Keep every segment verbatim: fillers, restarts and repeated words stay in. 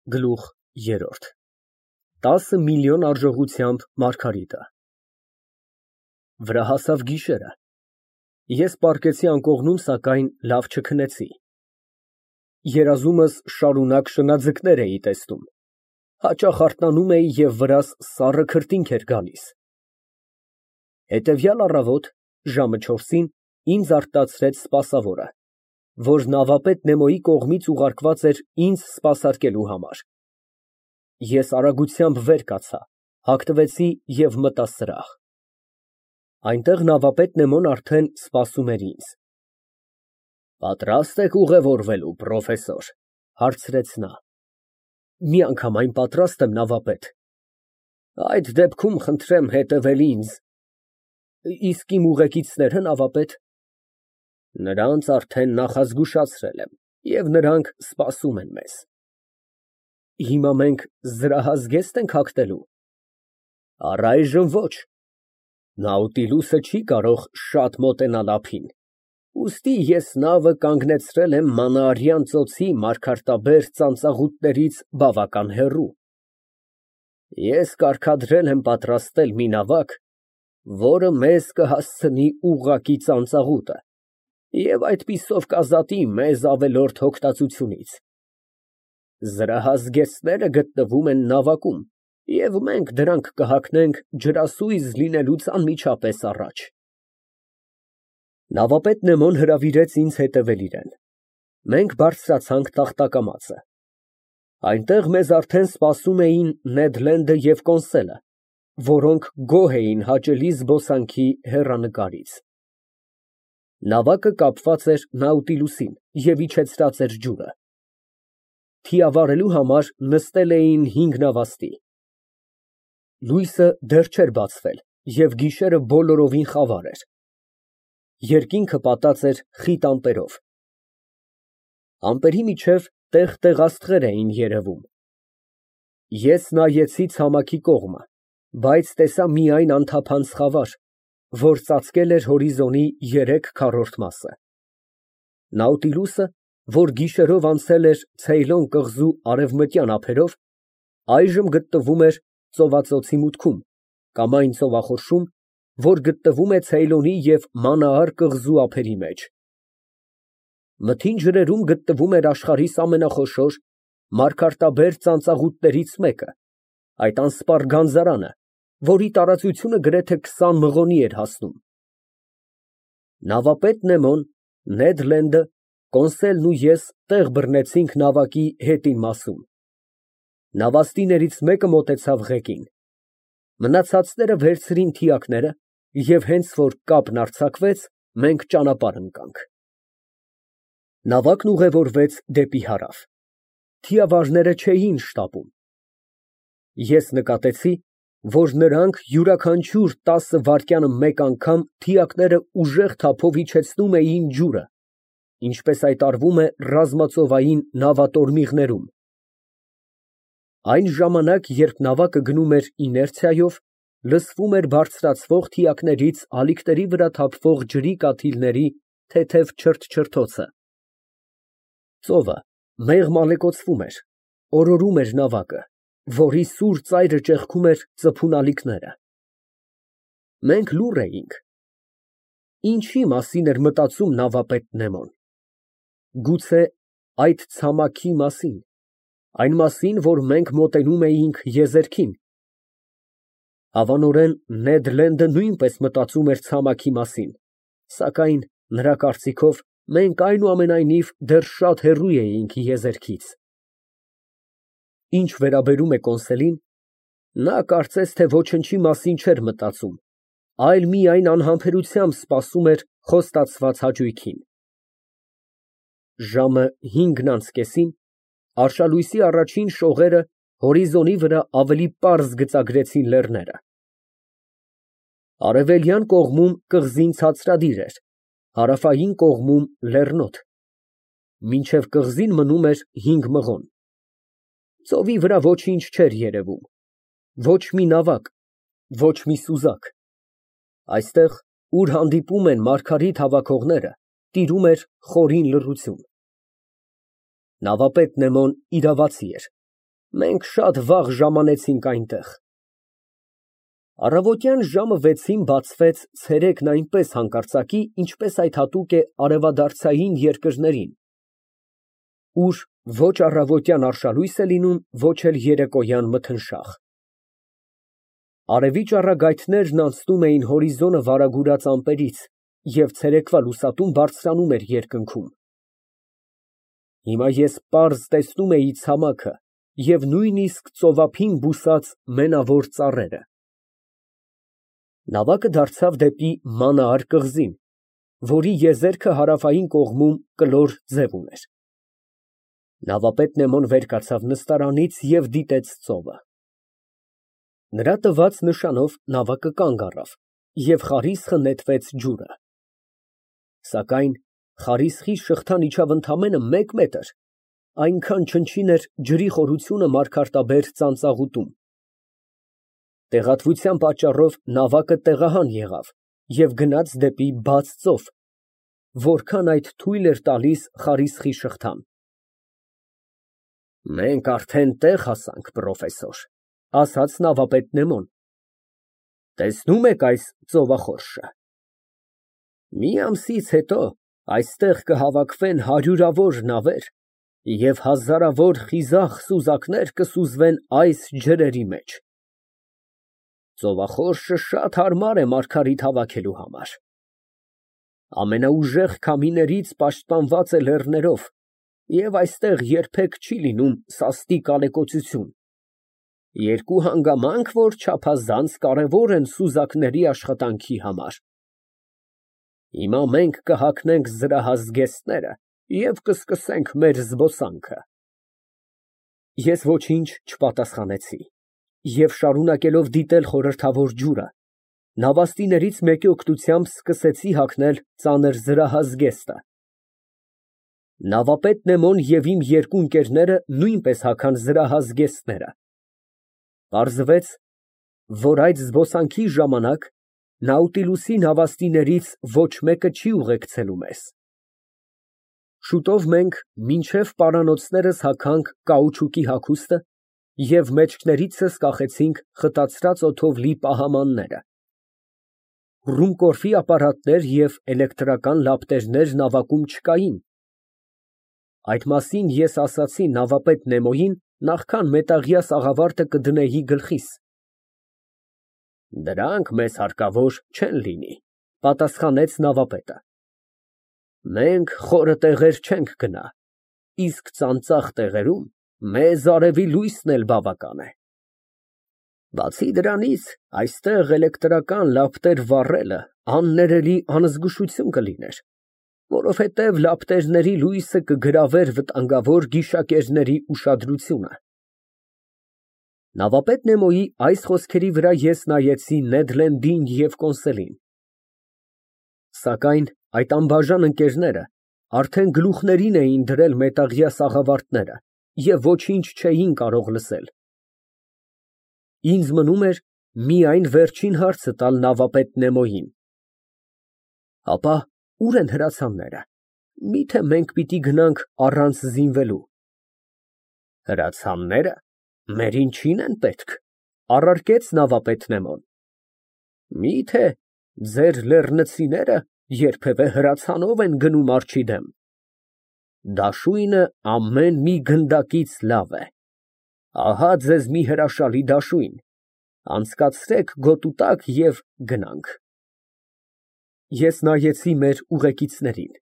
Գլուխ երրորդ տասը միլիոն արժողությամբ Մարգարիտը Վրա հասավ գիշերը, ես պառկեցի անկողնում, սակայն լավ չքնեցի, երազումս շարունակ շնաձկներ էի տեսնում, հաճախ արթնանում էի և վրաս սառը քրտինք էր գալիս, հետևյալ առավոտ ժամը չորսին ինձ առտացրեց սպասավորը, որ նավապետ Նեմոյի կողմից ուղարկված էր ինձ սպասարկելու համար, ես արագությամբ վեր կացա, հագնվեցի և մտա սրահ, այնտեղ նավապետ Նեմոն արդեն սպասում էր ինձ։ Պատրաստ եք ուղևորվելու, պրոֆեսոր, հարցրեց նա։ Միանգամայն պատրաստ եմ, նավապետ։ Այդ դեպքում խնդրեմ հետևել ինձ։ Իսկ իմ ուղեկիցնե՞րը, նավապետ։ Նրանց արդեն նախազգուշացրել եմ, և նրանք սպասում են մեզ։ Հիմա մենք զրահազգեստ ենք հագնելու։ Առայժմ ոչ։ Նաուտիլուսը չի կարող շատ մոտենալ ափին, ուստի ես նավը կանգնեցրել եմ Մանաարյան ծոցի մարգարտաբեր ծանծաղուտներից բավական հեռու։ Ես կարգադրել եմ պատրաստել մի նավակ, որը մեզ կհասցնի ուղղակի ծանծաղուտը և այդպիսով կազատի մեզ ավելորդ հոգտածությունից։ Զրահազգեստները գտնվում են նավակում, և մենք դրանք կհագնենք ջրասույզ լինելուց անմիջապես առաջ։ Նավապետ Նեմոն հրավիրեց ինձ հետևել իրեն։ Մենք բարձրացանք տախտակամածը։ Այնտեղ մեզ արդեն սպասում էին Նեդ Լենդը և Կոնսելը, որոնք գոհ էին հաճելի զբոսանքի հեռանկարից։ Նավակը կապված էր Նաուտիլուսին և իջեցրած էր ջուրը։ Թիավարելու համար նստել էին հինգ նավաստի։ Լույսը դեռ չէր բացվել, և գիշերը բոլորովին խավար էր։ Երկինքը պատած էր խիտ ամպերով։ Ամպերի միջև տեղ֊տեղ աստղեր էին երևում։ Ես նայեցի ցամաքի կողմը, բայց տեսա միայն անթափանց խավար, որ ծածկել էր հորիզոնի երեք քառորդ մասը։ Նաուտիլուսը, որ գիշերով անցել էր Ցեյլոն կղզու արևմտյան ափերով, այժմ գտնվում էր ծովածոցի մուտքում կամ այն ծովախորշում, որ գտնվում է Ցեյլոնի և Մանաար կղզու ափերի մեջ։ Մթին ջրերում գտնվում էր աշխարհիս ամենախոշոր մարգարտաբեր ծանծաղուտներից մեկը, այդ անսպառ գանձարանը, որի տարածությունը գրեթե քսան մղոնի էր հասնում։ Նավապետ Նեմոն, Նեդ Լենդը, Կոնսելն ու ես տեղ բռնեցինք նավակի հետին մասում։ Նավաստիներից մեկը մոտեցավ ղեկին։ Մնացածները վերցրին թիակները, և հենց որ կապն արձակվեց, մենք ճանապարհ ընկանք։ Նավակն ուղևորվեց դեպի հարավ։ Թիավարները չէին շտապում։ Ես նկատեցի, որ նրանք յուրաքանչյուր տասը վայրկյանը մեկ անգամ թիակները ուժեղ թափով իջեցնում էին ջուրը, ինչպես այդ արվում է ռազմածովային նավատորմիղներում։ Այն ժամանակ, երբ նավակը գնում էր իներցիայով, լսվում էր բարձրացվող թիակներից ալիքների վրա թափվող ջրի կաթիլների թեթև չրթչրթոցը։ Ծովը մեղմ ալեկոծվում էր, օրորում էր նավակը, որի սուր ծայրը ճեղքում էր ծփուն ալիքները։ Մենք լուռ էինք։ Ինչի մասին էր մտածում նավապետ Նեմոն։ Գուցե այդ ցամաքի մասին, այն մասին, որ մենք մոտենում էինք եզերքին։ Հավանորեն Նեդ Լենդը նույնպես մտածում էր ցամաքի մասին, սակայն նրա կարծիքով մենք այնուամենայնիվ դեռ շատ հեռու էինք եզերքից։ Ինչ վերաբերում է Կոնսելին, նա կարծես թե ոչնչի մասին չէր մտածում, այլ միայն անհամբերությամբ սպասում էր խոստացված հաճույքին։ Ժամը հինգն անց կեսին արշալույսի առաջին շողերը հորիզոնի վրա ավելի պարզ գծագրեցին լեռները։ Արևելյան կողմում կղզին ցածրադիր էր, հարավային կողմում լեռնոտ, մինչև կղզին մնում էր հինգ մղոն։ Ծովի վրա ոչինչ չէր երևում, ոչ մի նավակ, ոչ մի սուզակ։ Այստեղ, ուր հանդիպում են մարգարիտ հավաքողները, տիրում էր խորին լռություն։ Նավապետ Նեմոն իրավացի էր, Մենք շատ վաղ ժամանեցինք այնտեղ։ Առավոտյան ժամը վեցին բացվեց ցերեկն այնպես հանկարծակի, ինչպես այդ հատուկ է արևադարձային երկրներին, ուր ոչ առավոտյան արշալույս է լինում, ոչ էլ երեկոյան մթնշաղ։ Արևի ճառագայթներն անցնում էին հորիզոնը վարագուրած ամպերից, և ցերեկվա լուսատուն բարձրանում էր երկնքում։ Հիմա ես պարզ տեսնում էի ցամաքը և նույնիսկ ծովափին բուսած մենավոր ծառերը։ Նավակը դարձավ դեպի մանահար կղզին, որի եզերքը հարավային կողմում կլոր ձև ուներ։ Նավապետ Նեմոն վեր կացավ նստարանից և դիտեց ծովը։ Նրա տված նշանով նավակը կանգ առավ, և խարիսխը նետվեց ջուրը։ Սակայն խարիսխի շղթան իջավ ընդամենը մեկ մետր, այնքան չնչին էր ջրի խորությունը մարգարտաբեր ծանծաղուտում։ Տեղատվության պատճառով նավակը տեղահան եղավ և գնաց դեպի բաց ծով, որքան այդ թույլ էր տալիս խարիսխի շղթան։ Մենք արդեն տեղ հասանք, պրոֆեսոր, ասաց նավապետ Նեմոն։ Տեսնո՞ւմ եք այս ծովախորշը։ Մի ամսից հետո այստեղ կհավաքվեն հարյուրավոր նավեր և հազարավոր խիզախ սուզակներ կսուզվեն այս ջրերի մեջ։ Ծովախորշը շատ հարմար է մարգարիտ հավաքելու համար։ Ամենաուժեղ քամիներից պաշտպանված է լեռներով և այստեղ երբեք չի լինում սաստիկ ալեկոծություն։ Երկու հանգամանք, որ չափազանց կարևոր են սուզակների աշխատանքի համար։ Հիմա մենք կհագնենք զրահազգեստները և կսկսենք մեր զբոսանքը։ Ես ոչինչ չպատասխանեցի և, շարունակելով դիտել խորհրդավոր ջուրը, նավաստիներից մեկի օգնությամբ սկսեցի հագնել ծանր զրահազգեստը։ Նավապետ Նեմոն և իմ երկու ընկերները նույնպես հագան զրահազգեստները։ Պարզվեց, որ այդ զբոսանքի ժամանակ Նաուտիլուսի նավաստիներից ոչ մեկը չի ուղեկցելու մեզ։ Շուտով մենք մինչև պարանոցներս հագանք կաուչուկի հագուստը և մեջքներիցս կախեցինք խտացրած օդով լի պահամանները։ Ռումկորֆի ապարատներ և էլեկտրական լապտերներ նավակում չկային։ Այդ մասին ես ասացի նավապետ Նեմոյին, նախքան մետաղյա սաղավարտը կդնեի գլխիս։ Դրանք մեզ հարկավոր չեն լինի, պատասխանեց նավապետը։ Մենք խորը տեղեր չենք գնա, իսկ ծանծաղ տեղերում մեզ արևի լույսն էլ բավական է։ Բացի դրանից, այստեղ էլեկտրական լապտեր վառելը աններելի անզգուշություն կլիներ, որովհետև լապտերների լույսը կգրավեր վտանգավոր գիշակերների ուշադրությունը։ Նավապետ Նեմոյի այս խոսքերի վրա ես նայեցի Նեդ Լենդին և Կոնսելին։ Սակայն այդ անբաժան ընկերները արդեն գլուխներին էին դրել մետաղյա սաղավարտները և ոչինչ չէին կարող լսել։ Ինձ մնում էր միայն վերջին հարցը տալ նավապետ Նեմոյին։ Ապա ո՞ւր են հրացանները, միթե մենք պիտի գնանք առանց զինվելու։ Հրացաննե՞րը, մեր ինչին են պետք, առարկեց նավապետ Նեմոն։ Միթե ձեր լեռնցիները երբևէ հրացանով են գնում արջի դեմ։ Դաշույնը ամեն մի գնդակից լավ է։ Ահա ձեզ մի հրաշալի դաշույն, անցկացրեք գոտու տակ և գնանք։ Ես նայեցի մեր ուղեկիցներին։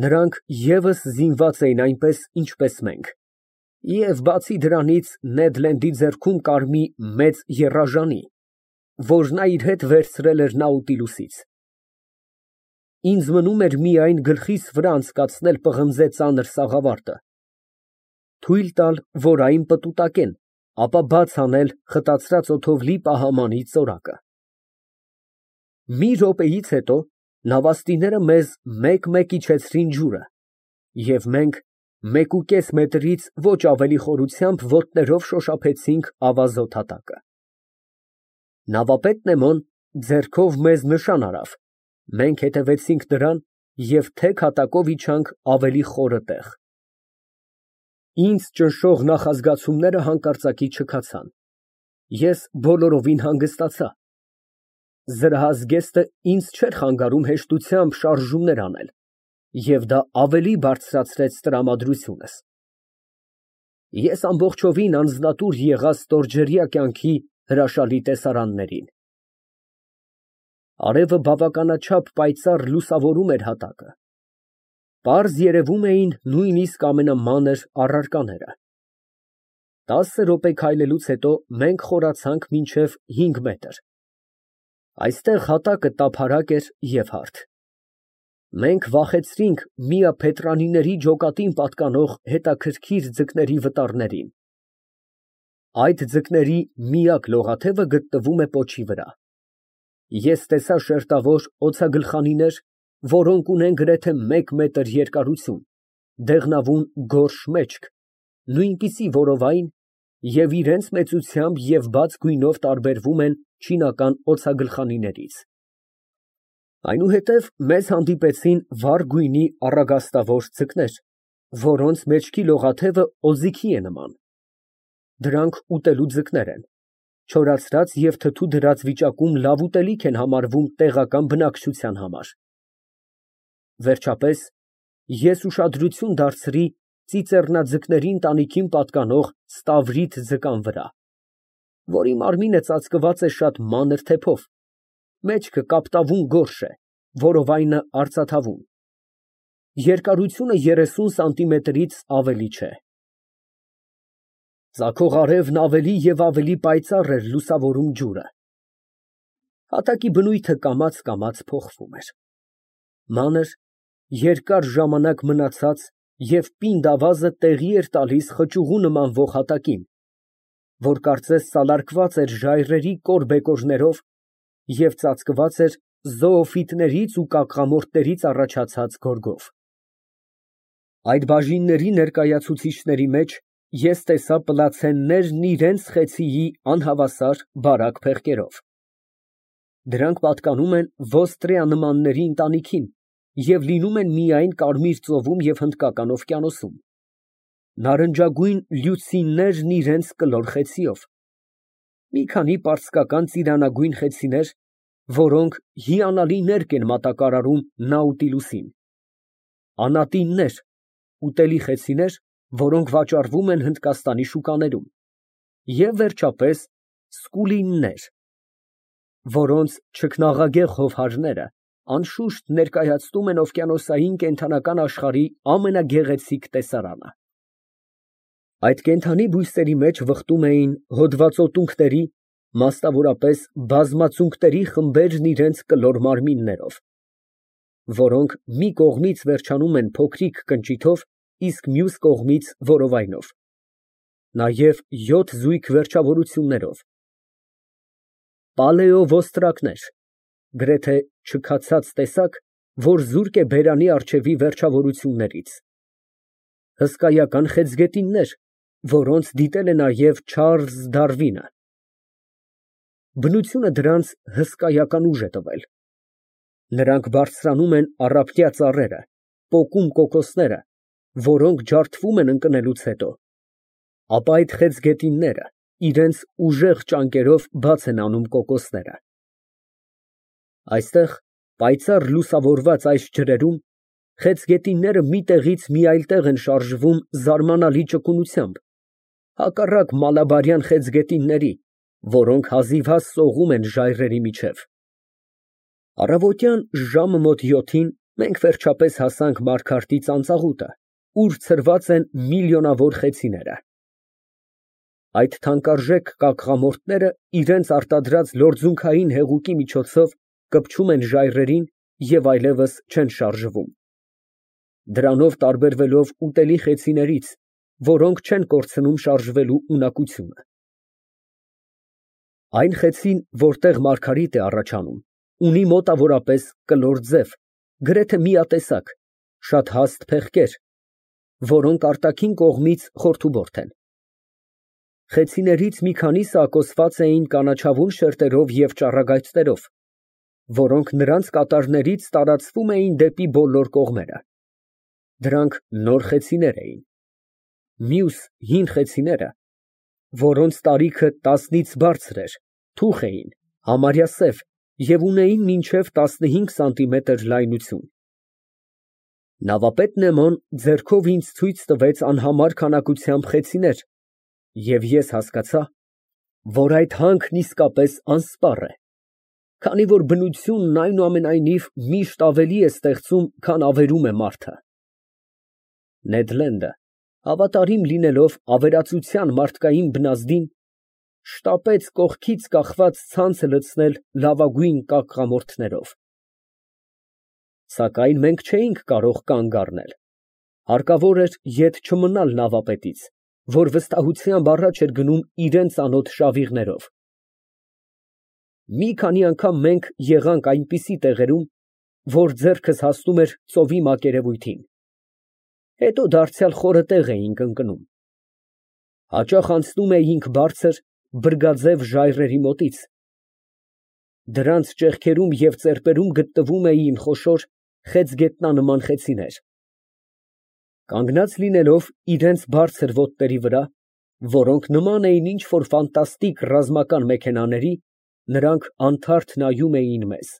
Նրանք ևս զինված էին այնպես, ինչպես մենք, և բացի դրանից Նեդ Լենդի ձեռքում կար մի մեծ եռաժանի, որ նա իր հետ վերցրել էր Նաուտիլուսից։ Ինձ մնում էր միայն գլխիս վրա անցկացնել պղնձե ծանր սաղավարտը, թույլ տալ, որ այն պտուտակեն, ապա բաց անել խտացրած օդով լի պահամանի ծորակը։ Մի րոպեից հետո նավաստիները մեզ մեկ֊մեկ իջեցրին ջուրը, և մենք մեկուկես մետրից ոչ ավելի խորությամբ ոտներով շոշափեցինք ավազոտ հատակը։ Նավապետ Նեմոն ձեռքով մեզ նշան արավ, մենք հետևեցինք նրան և թեք հատակով իջանք ավելի խորը տեղ։ Ինձ ճնշող նախազգացումները հանկարծակի չքացան, ես բոլորովին հանգստացա։ Զրահազգեստը ինձ չէր խանգարում հեշտությամբ շարժումներ անել, և դա ավելի բարձրացրեց տրամադրությունս։ Ես ամբողջովին անձնատուր եղա ստորջրյա կյանքի հրաշալի տեսարաններին։ Արևը բավականաչափ պայծառ լուսավորում էր հատակը, պարզ երևում էին նույնիսկ ամենամանր առարկաները։ Տասը րոպե քայլելուց հետո մենք խորացանք մինչև հինգ մետր։ Այստեղ հատակը տափարակ էր և հարթ։ Մենք վախեցրինք միապետրանիների ջոկատին պատկանող հետաքրքիր ձկների վտարներին։ Այդ ձկների միակ լողաթևը գտնվում է պոչի վրա։ Ես տեսա շերտավոր օձագլխանիներ, որոնք ունեն գրեթե մեկ մետր երկարություն, դեղնավուն գորշ մեջք, նույնպիսի որովայն և իրենց մեծությամբ և բաց գույնով տարբերվում են չինական օձագլխանիներից։ Այնուհետև մեզ հանդիպեցին վառ գույնի առագաստավոր ձկներ, որոնց մեջքի լողաթևը օձիքի է նման։ Դրանք ուտելու ձկներ են, չորացրած և թթու դրած վիճակում լավ ուտելիք են համարվում տեղական բնակչության համար։ Վերջապես ես ուշադրություն դարձրի ծիծեռնաձկների ընտանիքին պատկանող ստավրիտ ձկան վրա, որի մարմինը ծածկված է շատ մանր թեփով, մեջքը կապտավուն գորշ է, որովայնը արծաթավուն։ Երկարությունը երեսուն սանտիմետրից ավելի չէ։ Ծագող արևն ավելի և ավելի պայծառ էր լուսավորում ջուրը։ Հատակի բնույթը կամաց֊կամաց փոխվում էր։ Մանր, երկար ժամանակ մնացած և պինդ ավազը տեղի էր տալիս խճուղու նմանվող հատակին, որ կարծես սալարկված էր ժայռերի կոր բեկորներով և ծածկված էր զոոֆիտներից ու կակղամորտներից առաջացած գորգով։ Այդ բաժինների ներկայացուցիչների մեջ ես տեսա պլացեններն իրենց խեցիի անհավասար, բարակ փեղկերով։ Դրանք պատկանում են ոստրիանմանների ընտանիքին և լինում են միայն Կարմիր ծովում և Հնդկական օվկիանոսում։ Նարնջագույն լյուցիններն իրենց կլոր խեցիով։ Մի քանի պարսկական ծիրանագույն խեցիներ, որոնք հիանալի ներկ են մատակարարում Նաուտիլուսին։ Անատիններ, ուտելի խեցիներ, որոնք վաճառվում են Հնդկաստանի շուկաներում, և վերջապես սկուլիններ, որոնց չքնաղագեղ հովհարները անշուշտ ներկայացնում են օվկիանոսային կենդանական աշխարհի ամենագեղեցիկ տեսարանը։ Այդ կենդանի բույսերի մեջ վխտում էին հոդվածոտունքների, մասնավորապես բազմածունկների խմբերն իրենց կլոր մարմիններով, որոնք մի կողմից վերջանում են փոքրիկ կնճիթով, իսկ մյուս կողմից որովայնով, նաև յոթ զույգ վերջավորություններով։ Պալեովոստրակներ, գրեթե չքացած տեսակ, որ զուրկ է բերանի առջևի վերջավորություններից։ Հսկայական խեցգետիններ, որոնց դիտել է նաև Չարլզ Դարվինը։ Բնությունը դրանց հսկայական ուժ է տվել։ Նրանք բարձրանում են առափնյա ծառերը, պոկում կոկոսները, որոնք ջարդվում են ընկնելուց հետո, ապա այդ խեցգետինները իրենց ուժեղ ճանկերով բաց են անում կոկոսները։ Այստեղ, պայծառ լուսավորված այս ջրերում, խեցգետինները մի տեղից մի այլ տեղ են շարժվում զարմանալի ճկունությամբ, հակառակ մալաբարյան խեցգետինների, որոնք հազիվհազ սողում են ժայռերի միջև։ Առավոտյան ժամը մոտ յոթին մենք վերջապես հասանք Մարգարտի ծանծաղուտը, ուր ցրված են միլիոնավոր խեցիները։ Այդ թանկարժեք կակղամորտները իրենց արտադրած լորձունքային հեղուկի միջոցով կպչում են ժայռերին և այլևս չեն շարժվում, դրանով տարբերվելով ուտելի խեցիներից, որոնք չեն կորցնում շարժվելու ունակությունը։ Այն խեցին, որտեղ մարգարիտ է առաջանում, ունի մոտավորապես կլոր ձև, գրեթե միատեսակ, շատ հաստ փեղկեր, որոնք արտաքին կողմից խորթուբորդ են։ Խեցիներից մի քանիսը ակոսված էին կանաչավուն շերտերով և ճառագայթներով, որոնք նրանց կատարներից տարածվում էին դեպի բոլոր կողմերը։ Դրանք նոր խեցիներ էին։ Մյուս հին խեցիները, որոնց տարիքը տասնից բարձր էր, թուխ էին, համարյա սև և ունեին մինչև տասնհինգ սանտիմետր լայնություն։ Նավապետ Նեման ձեռքով ինձ ցույց տվեց անհամար քանակությամբ խեցիներ, և ես հասկացա, որ այդ հանքն իսկապես անսպառ է, քանի որ բնությունն այնուամենայնիվ միշտ ավելի է ստեղծում, քան ավերում է մարդը։ Նեդ Լենդը, հավատարիմ լինելով ավերածության մարդկային բնազդին, շտապեց կողքից կախված ցանցը լցնել լավագույն կակղամորթներով։ Սակայն մենք չէինք կարող կանգ առնել, հարկավոր էր ետ չմնալ նավապետից, որ վստահությամբ առաջ էր գնում իրան ծանոթ շավիղներով։ Մի քանի անգամ մենք եղանք այնպիսի տեղերում, որ ձեռքս հասնում էր ծովի մակերևույթին, հետո դարձյալ խորը տեղ էինք ընկնում։ Հաճախ անցնում էինք բարձր, բրգաձև ժայռերի մոտից, դրանց ճեղքերում և ծեպերում գտնվում էին խոշոր խեցգետնանման խեցիներ։ Կանգնած լինելով իրենց բարձր ոտների վրա, որոնք նման էին ինչ֊որ ֆանտաստիկ ռազմական մեքենաների, նրանք անթարթ նայում էին մեզ։